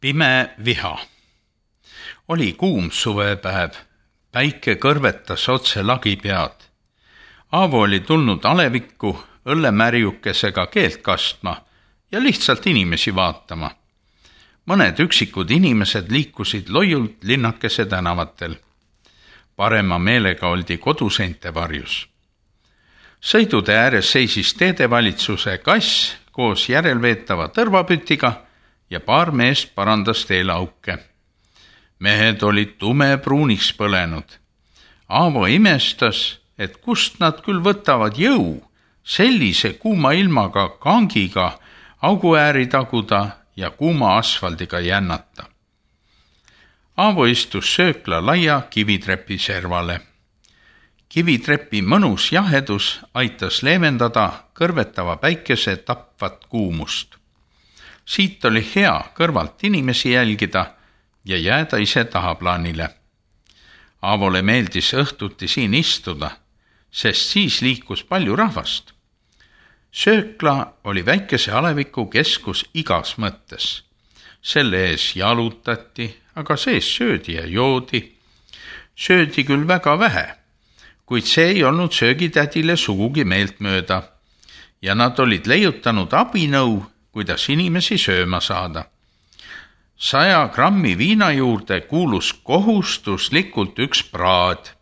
Pime viha. Oli kuum suvepäev, päike kõrvetas otse lagi pead. Aavo oli tulnud alevikku õllemärjukesega keelt kastma ja lihtsalt inimesi vaatama. Mõned üksikud inimesed liikusid loiult linnakese tänavatel. Parema meelega oldi koduseinte varjus. Sõidude ääres seisis teedevalitsuse kass koos järelveetava tõrvapütiga ja paar meest parandas teelauke. Mehed olid tumepruuniks põlenud. Aavo imestas, et kust nad küll võtavad jõu sellise kuuma ilmaga kangiga auguääri taguda ja kuuma asfaldiga jännata. Aavo istus söökla laia kivitrepi servale. Kivitrepi mõnus jahedus aitas leevendada kõrvetava päikese tapvat kuumust. Siit oli hea kõrvalt inimesi jälgida ja jääda ise tahaplaanile. Aavole meeldis õhtuti siin istuda, sest siis liikus palju rahvast. Söökla oli väikese aleviku keskus igas mõttes. Selle ees jalutati, aga sees söödi ja joodi. Söödi küll väga vähe, kuid see ei olnud söögitädile sugugi meeltmööda ja nad olid leiutanud abinõu, kuidas inimesi sööma saada. 100 grammi viina juurde kuulus kohustuslikult üks praad,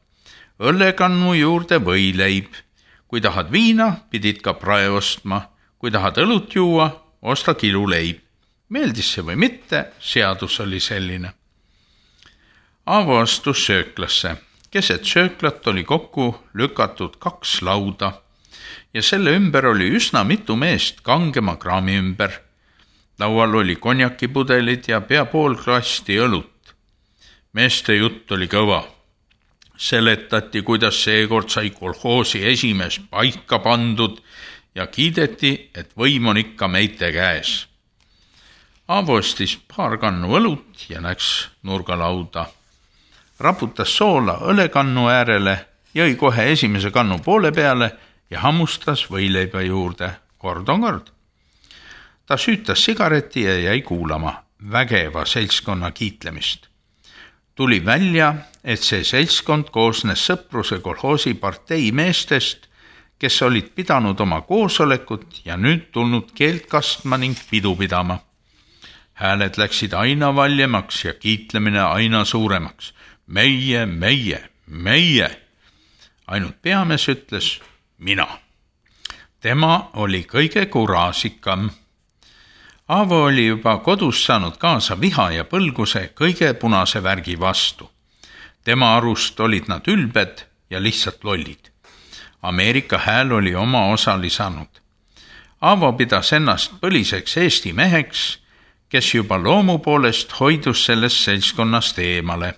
õllekannu juurde võileib. Kui tahad viina, pidid ka prae ostma. Kui tahad õlut juua, osta kiluleib. Meeldis see või mitte, seadus oli selline. Aavo astus sööklasse. Keset sööklat oli kokku lükatud 2 lauda ja selle ümber oli üsna mitu meest kangema kraami ümber. Laual oli konjakipudelid ja pea pool klasti õlut. Meeste jutt oli kõva. Seletati, kuidas seekord sai kolhoosi esimees paika pandud ja kiideti, et võim on ikka meite käes. Aavo ostis paar kannu õlut ja läks nurgalauda. Raputas soola õlekannu äärele, jõi kohe esimese kannu poole peale ja hammustas võileiba juurde. Kord on kord. Ta süütas sigareti ja jäi kuulama vägeva seltskonna kiitlemist. Tuli välja, et see seltskond koosnes Sõpruse kolhoosi partei meestest, kes olid pidanud oma koosolekut ja nüüd tulnud keelt kastma ning pidu pidama. Hääled läksid aina valjemaks ja kiitlemine aina suuremaks. Meie, meie, meie. Ainult peamees ütles mina. Tema oli kõige kuraasikam. Aavo oli juba kodus saanud kaasa viha ja põlguse kõige punase värgi vastu. Tema arust olid nad ülbed ja lihtsalt lollid. Ameerika hääl oli oma osa lisanud. Aavo pidas ennast põliseks Eesti meheks, kes juba loomu poolest hoidus sellest seltskonnast eemale.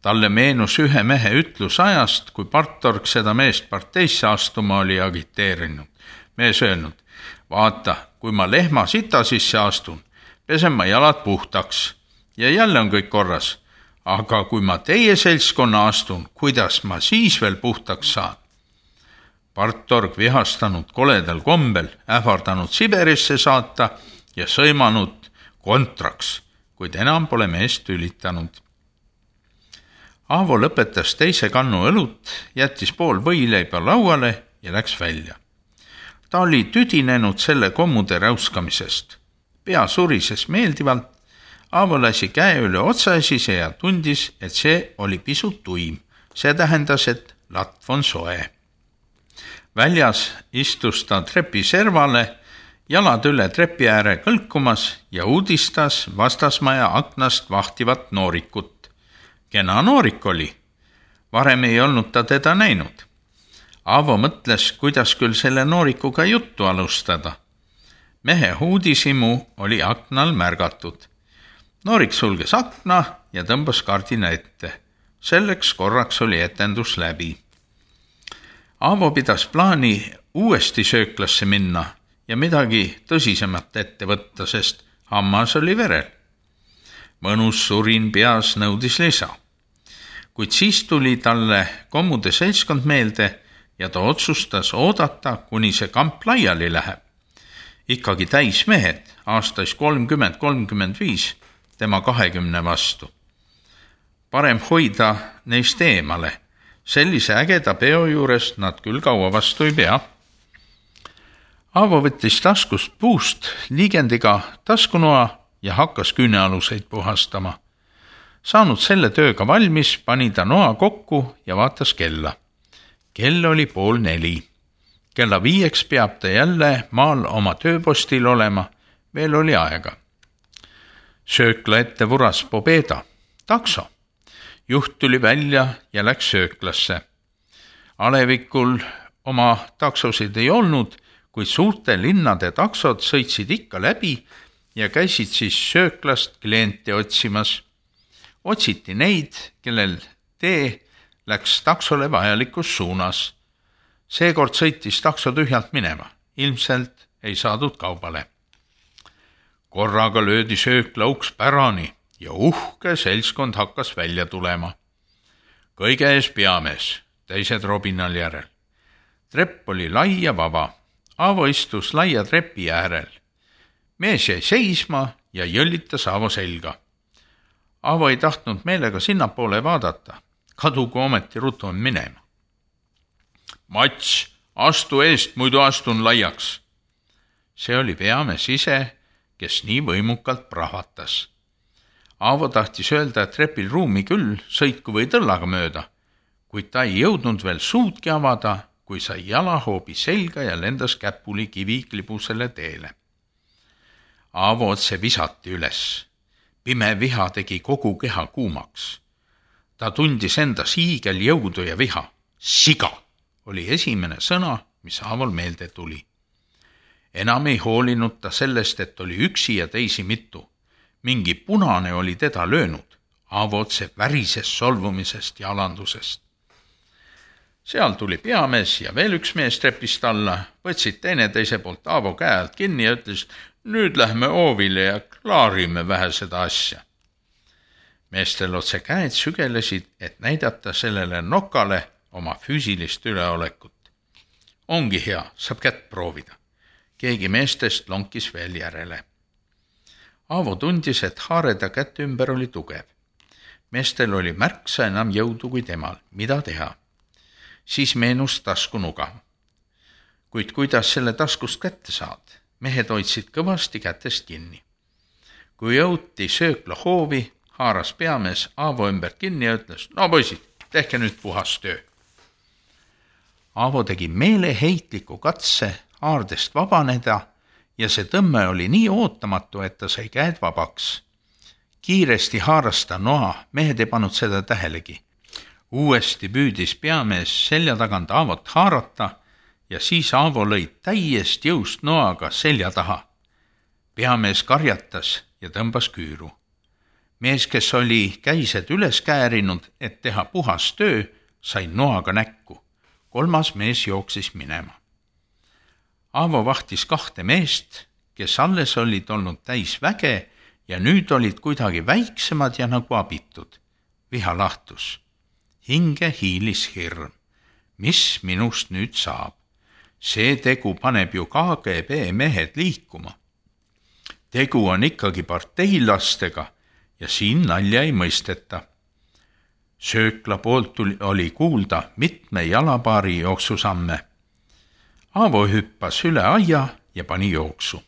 Talle meenus ühe mehe ütlus ajast, kui partorg seda meest parteisse astuma oli agiteerinud. Mees öelnud, vaata, kui ma lehma sita sisse astun, pesen ma jalad puhtaks ja jälle on kõik korras. Aga kui ma teie seltskonna astun, kuidas ma siis veel puhtaks saan? Partorg vihastanud koledal kombel, ähvardanud Siberisse saata ja sõimanud kontraks, kuid enam pole meest tülitanud. Aavo lõpetas teise kannu õlut, jättis pool võileiba lauale ja läks välja. Ta oli tüdinenud selle kommude räuskamisest. Pea surises meeldivalt, Aavo lasi käe üle otsaesise ja tundis, et see oli pisut tuim. See tähendas, et latv on soe. Väljas istus ta trepi servale, jalad üle trepi ääre kõlkumas ja uudistas vastasmaja aknast vahtivat noorikut. Kena noorik oli. Varem ei olnud ta teda näinud. Aavo mõtles, kuidas küll selle noorikuga juttu alustada. Mehe huudisimu oli aknal märgatud. Noorik sulges akna ja tõmbas kardina ette. Selleks korraks oli etendus läbi. Aavo pidas plaani uuesti sööklasse minna ja midagi tõsisemat ette võtta, sest hammas oli verel. Mõnus surin peas nõudis lisa. Kuid siis tuli talle kommude seltskond meelde ja ta otsustas oodata, kuni see kamp laiali läheb. Ikkagi täis mehed, aastais 30-35, tema 20 vastu. Parem hoida neist eemale. Sellise ägeda peo juures nad küll kaua vastu ei pea. Aavo võttis taskust puust liigendiga taskunoa ja hakkas küünealuseid puhastama. Saanud selle tööga valmis, pani ta noa kokku ja vaatas kella. Kell oli 3:30. Kella 5 peab ta jälle maal oma tööpostil olema, veel oli aega. Söökla ette vuras Pobeda, takso. Juht tuli välja ja läks sööklasse. Alevikul oma taksosid ei olnud, kuid suurte linnade taksod sõitsid ikka läbi ja käisid siis sööklast kliente otsimas. Otsiti neid, kellel tee läks taksole vajalikus suunas. Seekord sõitis takso tühjalt minema, ilmselt ei saadud kaubale. Korraga löödi söökla uks pärani ja uhke seltskond hakkas välja tulema. Kõige ees peamees, teised robinal järel. Trepp oli lai ja vaba. Aavo istus laia trepi äärel. Mees jäi seisma ja jõllitas Aavo selga. Aavo ei tahtnud meelega sinnapoole vaadata. Kadugu ometi rutu minema. Mats, astu eest, muidu astun laiaks. See oli peamees ise, kes nii võimukalt prahvatas. Aavo tahtis öelda, et trepil ruumi küll, sõitku või tõllaga mööda, kuid ta ei jõudnud veel suudki avada, kui sai jalahoobi selga ja lendas käpuli kiviklibusele teele. Aavo otse visati üles. Pime viha tegi kogu keha kuumaks. Ta tundis endas hiigeljõudu ja viha. Siga oli esimene sõna, mis Aavol meelde tuli. Enam ei hoolinud ta sellest, et oli üksi ja teisi mitu. Mingi punane oli teda löönud. Aavo otse värises solvumisest ja alandusest. Seal tuli peamees ja veel üks mees trepist alla, võtsid teineteise poolt Aavo käe alt kinni ja ütles, nüüd lähme oovile ja klaarime vähe seda asja. Meestel otse käed sügelesid, et näidata sellele nokale oma füüsilist üleolekut. Ongi hea, saab kätt proovida. Keegi meestest lonkis veel järele. Aavo tundis, et haareda kätte ümber oli tugev. Meestel oli märksa enam jõudu kui temal. Mida teha? Siis meenus taskunuga. Kuid kuidas selle taskust kätte saad? Mehed hoidsid kõvasti kätest kinni. Kui jõuti söökla hoovi, haaras peamees Aavo ümber kinni ja ütles, no poisid, tehke nüüd puhas töö. Aavo tegi meeleheitliku katse haardest vabaneda ja see tõmme oli nii ootamatu, et ta sai käed vabaks. Kiiresti haaras ta noa, mehed ei pannud seda tähelegi. Uuesti püüdis peamees selja tagant Aavot haarata ja siis Aavo lõi täiest jõust noaga selja taha. Peamees karjatas ja tõmbas küüru. Mees, kes oli käised üles käärinud, et teha puhas töö, sai noaga näkku. 3. mees jooksis minema. Aavo vahtis 2 meest, kes alles olid olnud täis väge ja nüüd olid kuidagi väiksemad ja nagu abitud. Viha lahtus. Hinge hiilis hirm. Mis minust nüüd saab? See tegu paneb ju KGB mehed liikuma. Tegu on ikkagi parteilastega ja siin nalja ei mõisteta. Söökla poolt oli kuulda mitme jalapaari jooksusamme. Aavo hüppas üle aia ja pani jooksu.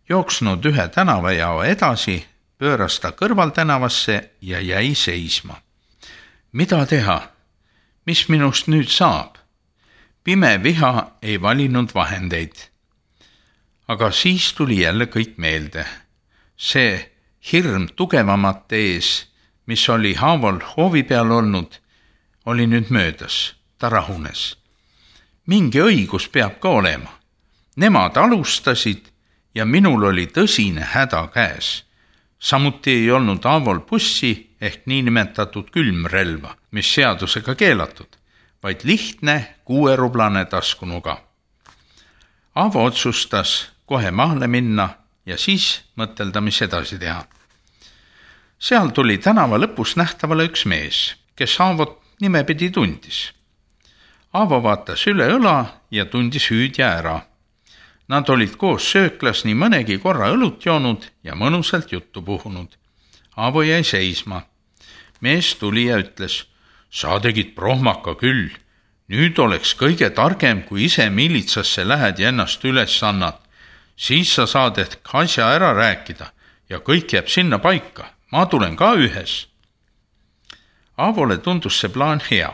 Jooksnud ühe tänavajao edasi, pööras ta kõrvaltänavasse ja jäi seisma. Mida teha? Mis minust nüüd saab? Pime viha ei valinud vahendeid. Aga siis tuli jälle kõik meelde. See hirm tugevamate ees, mis oli Aavol hoovi peal olnud, oli nüüd möödas. Ta rahunes. Mingi õigus peab ka olema. Nemad alustasid ja minul oli tõsine häda käes. Samuti ei olnud Aavol bussi ehk niinimetatud külmrelva, mis seadusega keelatud, vaid lihtne 6-rublane taskunuga. Aavo otsustas kohe maale minna ja siis mõtelda, mis edasi teha. Seal tuli tänava lõpus nähtavale üks mees, kes Aavot nimepidi tundis. Aavo vaatas üle õla ja tundis hüüdja ära. Nad olid koos sööklas nii mõnegi korra õlut joonud ja mõnusalt juttu puhunud. Aavo jäi seisma. Mees tuli ja ütles, sa tegid prohmaka küll. Nüüd oleks kõige targem, kui ise miilitsasse lähed ja ennast üles annad. Siis sa saad ehk asja ära rääkida ja kõik jääb sinna paika. Ma tulen ka ühes. Aavole tundus see plaan hea.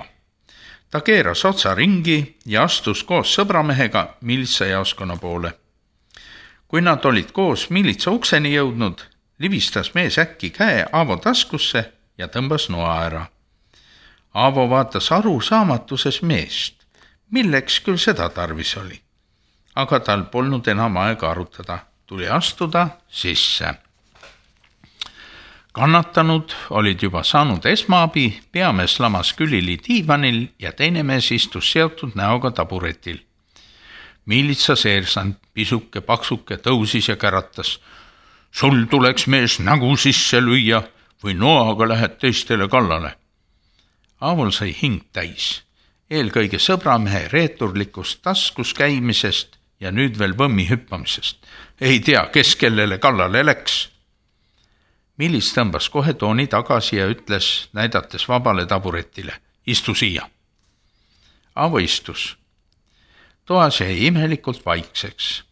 Ta keeras otsa ringi ja astus koos sõbramehega miilitsajaoskonna poole. Kui nad olid koos miilitsa ukseni jõudnud, libistas mees äkki käe Aavo taskusse ja tõmbas noa ära. Aavo vaatas arusaamatuses meest, milleks küll seda tarvis oli. Aga tal polnud enam aega arutada, tuli astuda sisse. Kannatanud olid juba saanud esmaabi, peamees lamas külili diivanil ja teine mees istus seotud näoga taburetil. Miilitsa seersant, pisuke, paksuke, tõusis ja käratas. Sul tuleks mees nägu sisse lüüa või noaga lähed teistele kallale. Aavol sai hing täis, eelkõige sõbramehe reeturlikust taskus käimisest ja nüüd veel võmmi hüppamisest. Ei tea, kes kellele kallale läks. Miilits tõmbas kohe tooni tagasi ja ütles, näidates vabale taburetile, istu siia. Aavo istus. Toas jäi imelikult vaikseks.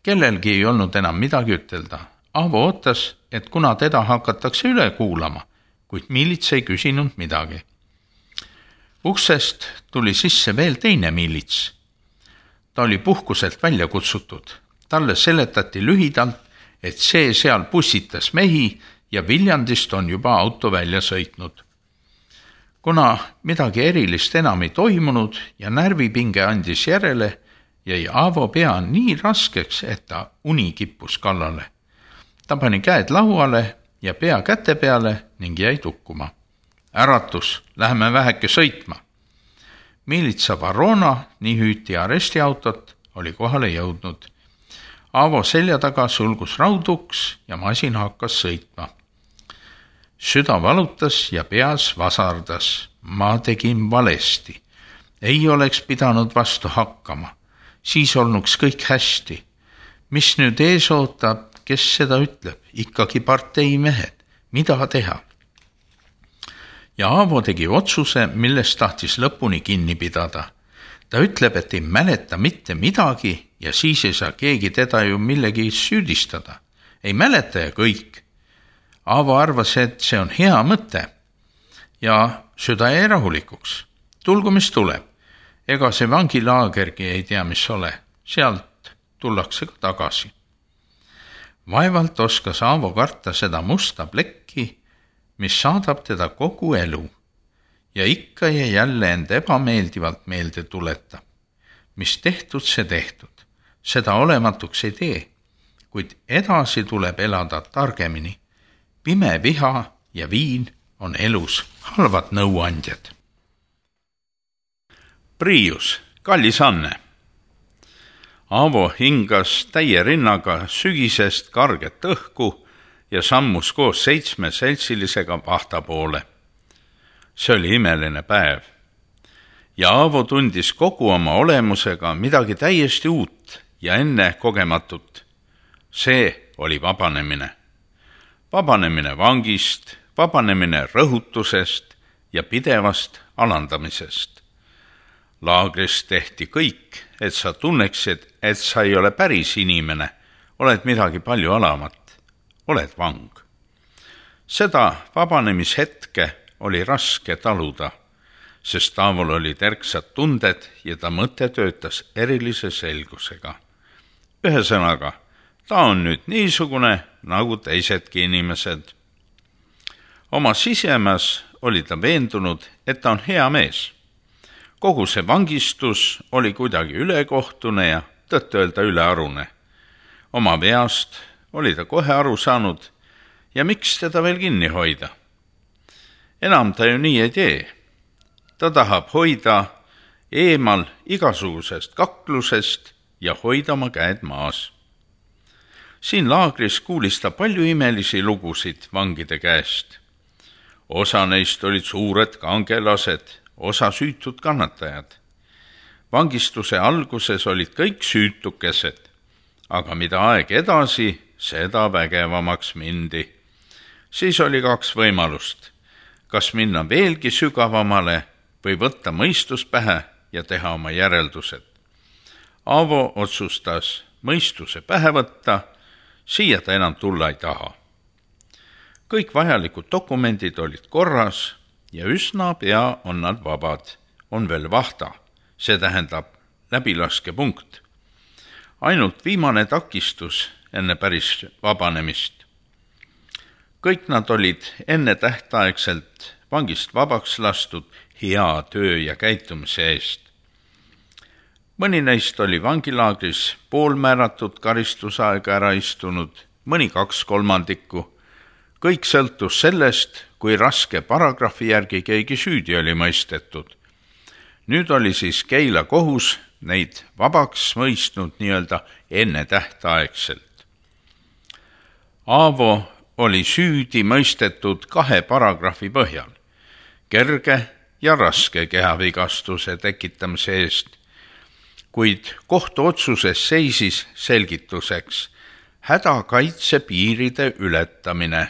Kellelgi ei olnud enam midagi ütelda. Aavo ootas, et kuna teda hakatakse üle kuulama, kuid Miilits ei küsinud midagi. Uksest tuli sisse veel teine Miilits. Ta oli puhkuselt välja kutsutud. Talle seletati lühidalt, et see seal pussitas mehi ja Viljandist on juba auto välja sõitnud. Kuna midagi erilist enam ei toimunud ja närvipinge andis järele, jäi Aavo pea nii raskeks, et ta uni kippus kallale. Ta pani käed lauale ja pea käte peale ning jäi tukkuma. Äratus, läheme väheke sõitma. Miilitsa Varona, nii hüüti arestiautot, oli kohale jõudnud. Aavo selja taga sulgus rauduks ja masin hakkas sõitma. Süda valutas ja peas vasardas. Ma tegin valesti. Ei oleks pidanud vastu hakkama. Siis olnuks kõik hästi. Mis nüüd ees ootab, kes seda ütleb? Ikkagi partei mehed. Mida teha? Ja Aavo tegi otsuse, millest tahtis lõpuni kinni pidada. Ta ütleb, et ei mäleta mitte midagi ja siis ei saa keegi teda ju millegi süüdistada. Ei mäleta ja kõik. Aavo arvas, et see on hea mõte ja süda jäi rahulikuks. Tulgu, mis tuleb. Ega see vangilaagergi ei tea, mis ole. Sealt tullakse ka tagasi. Vaevalt oskas Aavo karta seda musta plekki, mis saadab teda kogu elu ja ikka ja jälle end ebameeldivalt meelde tuletab. Mis tehtud, see tehtud. Seda olematuks ei tee, kuid edasi tuleb elada targemini. Pime viha ja viin on elus halvad nõuandjad. Priius, kallis Anne. Aavo hingas täie rinnaga sügisest karget õhku ja sammus koos 7 seltsilisega vahta poole. See oli imeline päev. Ja Aavo tundis kogu oma olemusega midagi täiesti uut ja enne kogematut. See oli vabanemine. Vabanemine vangist, vabanemine rõhutusest ja pidevast alandamisest. Laagris tehti kõik, et sa tunneksid, et sa ei ole päris inimene, oled midagi palju alamat, oled vang. Seda vabanemishetke oli raske taluda, sest Aavol olid erksad tunded ja ta mõte töötas erilise selgusega. Ühesõnaga, ta on nüüd niisugune nagu teisedki inimesed. Oma sisemas oli ta veendunud, et ta on hea mees. Kogu see vangistus oli kuidagi ülekohtune ja tõtt-öelda ülearune. Oma veast oli ta kohe aru saanud ja miks teda veel kinni hoida. Enam ta ju nii ei tee. Ta tahab hoida eemal igasugusest kaklusest ja hoida oma käed maas. Siin laagris kuulis ta palju imelisi lugusid vangide käest. Osa neist olid suured kangelased, osa süütud kannatajad. Vangistuse alguses olid kõik süütukesed, aga mida aeg edasi, seda vägevamaks mindi. Siis oli 2 võimalust, kas minna veelgi sügavamale või võtta mõistus pähe ja teha oma järeldused. Aavo otsustas mõistuse pähe võtta, siia ta enam tulla ei taha. Kõik vajalikud dokumendid olid korras ja üsna pea on nad vabad. On veel vahta, see tähendab läbilaskepunkt. Ainult viimane takistus enne päris vabanemist. Kõik nad olid enne tähtaegselt vangist vabaks lastud hea töö ja käitumise eest. Mõni neist oli vangilaagris poolmääratud karistusaega ära istunud, mõni 2/3. Kõik sõltus sellest, kui raske paragrahvi järgi keegi süüdi oli mõistetud. Nüüd oli siis Keila kohus neid vabaks mõistnud nii-öelda enne tähtaegselt. Aavo oli süüdi mõistetud 2 paragrahvi põhjal, kerge ja raske kehavigastuse tekitamise eest, kuid kohtuotsuses seisis selgituseks hädakaitse piiride ületamine.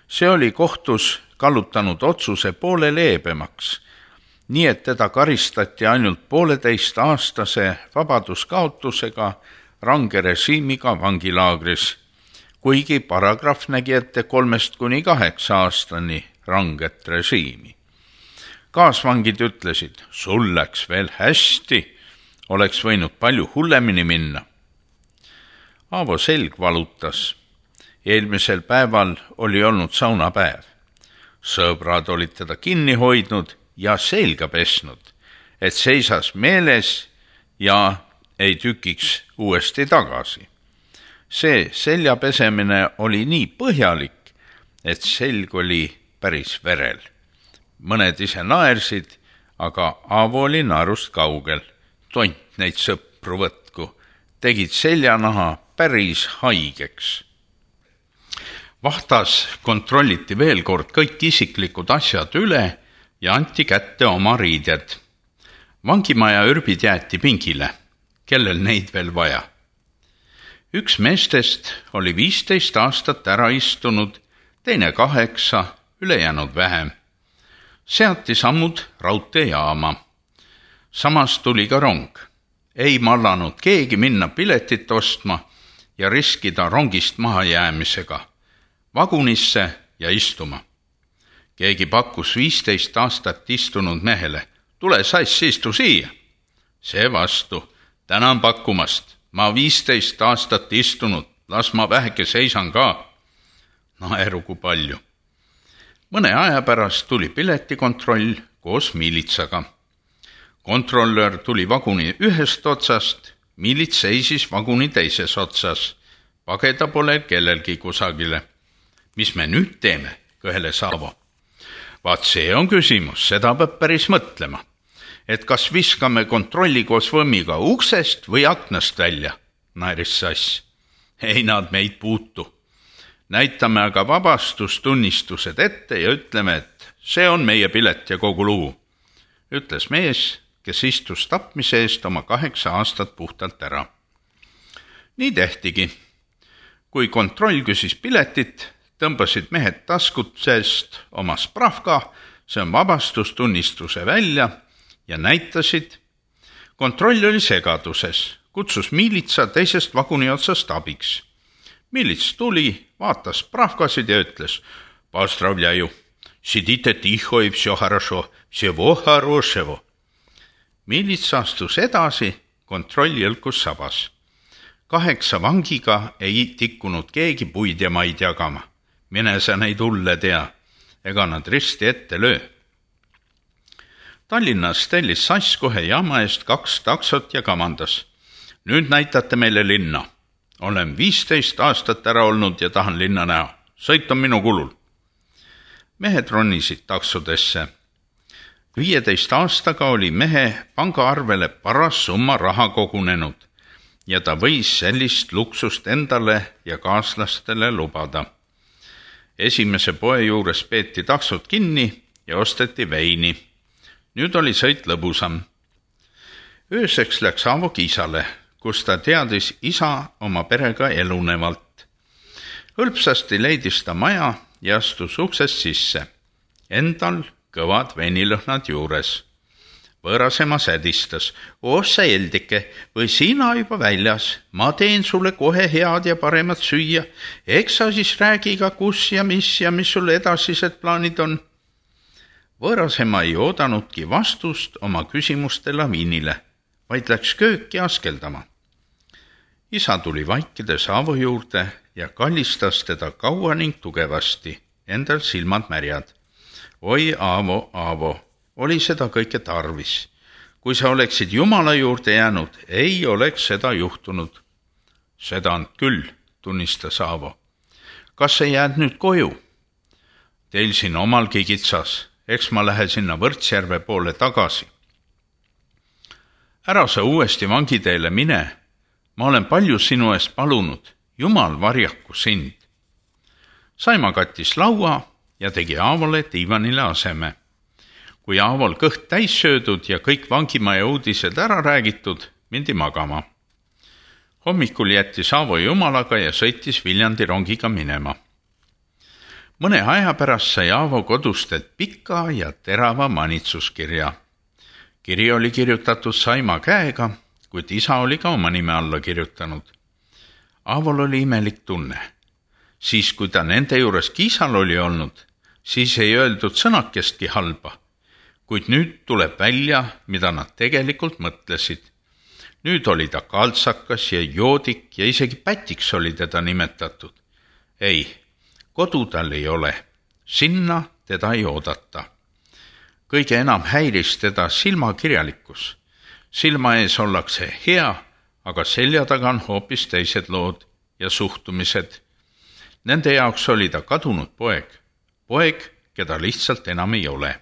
See oli kohtus kallutanud otsuse poole leebemaks, nii et teda karistati ainult 1,5-aastase vabaduskaotusega range režiimiga vangilaagris, kuigi paragrahv nägi ette 3-8 aastani ranget režiimi. Kaasvangid ütlesid, sul läks veel hästi, oleks võinud palju hullemini minna. Aavo selg valutas. Eelmisel päeval oli olnud saunapäev. Sõbrad olid teda kinni hoidnud ja selga pesnud, et seisas meeles ja ei tükiks uuesti tagasi. See selja pesemine oli nii põhjalik, et selg oli päris verel. Mõned ise naersid, aga Aavo oli naerust kaugel. Tont neid sõpru võtku, tegid seljanaha päris haigeks. Vahtas kontrolliti veel kord kõik isiklikud asjad üle ja anti kätte oma riided. Vangimaja ürbid jäeti pingile, kellel neid veel vaja. Üks meestest oli 15 aastat ära istunud, teine 8, ülejäänud vähem. Seati sammud raudteejaama. Samas tuli ka rong. Ei mallanud keegi minna piletit ostma ja riskida rongist mahajäämisega. Vagunisse ja istuma. Keegi pakkus 15 aastat istunud mehele, tule sass, istu siia. See vastu, tänan pakkumast, ma 15 aastat istunud, las ma väheke seisan ka. Naeru kui palju. Mõne aja pärast tuli piletikontroll koos miilitsaga. Kontrollör tuli vaguni ühest otsast, miilits seisis vaguni teises otsas. Pageda pole kellelgi kusagile. Mis me nüüd teeme, kõheles Aavo. Vaat see on küsimus, seda peab päris mõtlema. Et kas viskame kontrolli koos võmmiga uksest või aknast välja, naeris Sass. Ei nad meid puutu. Näitame aga vabastustunnistused ette ja ütleme, et see on meie pilet ja kogu lugu, ütles mees, kes istus tapmise eest oma 8 aastat puhtalt ära. Nii tehtigi. Kui kontroll küsis piletit, tõmbasid mehed taskutsest oma spravka, see on vabastustunnistuse välja ja näitasid. Kontroll oli segaduses, kutsus miilitsa teisest vaguni otsast abiks. Miilits tuli, vaatas spravkasid ja ütles, Pozdravljaju, sidite tiho i vse хорошо, всего хорошего. Miilits astus edasi, kontroll jõlkus sabas. 8 vangiga ei tikkunud keegi puid ja maid jagama. Mine sa neid hulle tea, ega nad risti ette löö. Tallinnas tellis Sass kohe jaama eest 2 taksot ja kamandas. Nüüd näitate meile linna. Olen 15 aastat ära olnud ja tahan linna näha. Sõit on minu kulul. Mehed ronisid taksodesse. 15 aastaga oli mehe pangaarvele paras summa raha kogunenud ja ta võis sellist luksust endale ja kaaslastele lubada. Esimese poe juures peeti taksod kinni ja osteti veini. Nüüd oli sõit lõbusam. Ööseks läks Aavo Kiisale, kus ta teadis isa oma perega elunevalt. Hõlpsasti leidis ta maja ja astus uksest sisse. Endal kõvad veinilõhnad juures. Võõrasema sädistas. Oh sa Eldike, või sina juba väljas? Ma teen sulle kohe head ja paremat süüa. Eks sa siis räägi ka kus ja mis sul edasised plaanid on? Võõrasema ei oodanudki vastust oma küsimuste laviinile, vaid läks kööki askeldama. Isa tuli vaikides Aavo juurde ja kallistas teda kaua ning tugevasti, endal silmad märjad. Oi Aavo, Aavo, oli seda kõike tarvis. Kui sa oleksid Jumala juurde jäänud, ei oleks seda juhtunud. Seda on küll, tunnistas Aavo. Kas sa jääd nüüd koju? Teil siin omalgi kitsas, eks ma lähe sinna Võrtsjärve poole tagasi. Ära sa uuesti vangiteele mine, ma olen palju sinu eest palunud, Jumal varjaku sind. Saima kattis laua ja tegi Aavole diivanile aseme. Kui Aavol kõht täis söödud ja kõik vangimaja uudised ära räägitud, mindi magama. Hommikul jättis Aavo Jumalaga ja sõitis Viljandi rongiga minema. Mõne aja pärast sai Aavo kodustelt pika ja terava manitsuskirja. Kiri oli kirjutatud Saima käega, kuid isa oli ka oma nime alla kirjutanud. Aavol oli imelik tunne. Siis, kui ta nende juures Kiisal oli olnud, siis ei öeldud sõnakestki halba. Kuid nüüd tuleb välja, mida nad tegelikult mõtlesid. Nüüd oli ta kaltsakas ja joodik ja isegi pätiks oli teda nimetatud. Ei, kodu tal ei ole. Sinna teda ei oodata. Kõige enam häiris teda silmakirjalikkus. Silma ees ollakse hea, aga selja taga on hoopis teised lood ja suhtumised. Nende jaoks oli ta kadunud poeg. Poeg, keda lihtsalt enam ei ole.